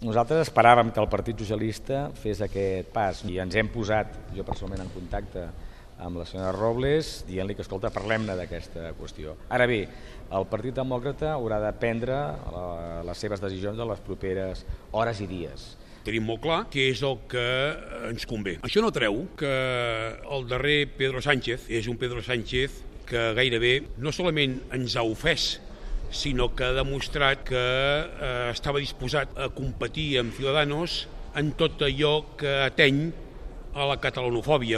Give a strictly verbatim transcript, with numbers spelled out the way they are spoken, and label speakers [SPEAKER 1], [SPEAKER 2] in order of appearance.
[SPEAKER 1] Nosaltres esperàvem que el Partit Socialista fes aquest pas i ens hem posat, jo personalment, en contacte amb la senyora Robles, dient-li que, escolta, parlem-ne d'aquesta qüestió. Ara bé, el Partit Demòcrata haurà de prendre les seves decisions en les properes hores i dies.
[SPEAKER 2] Tenim molt clar què és el que ens convé. Això no treu que el darrer Pedro Sánchez és un Pedro Sánchez que gairebé no solament ens ha ofès, sinó que ha demostrat que eh, estava disposat a competir amb Ciudadanos en tot allò que ateny a la catalanofòbia.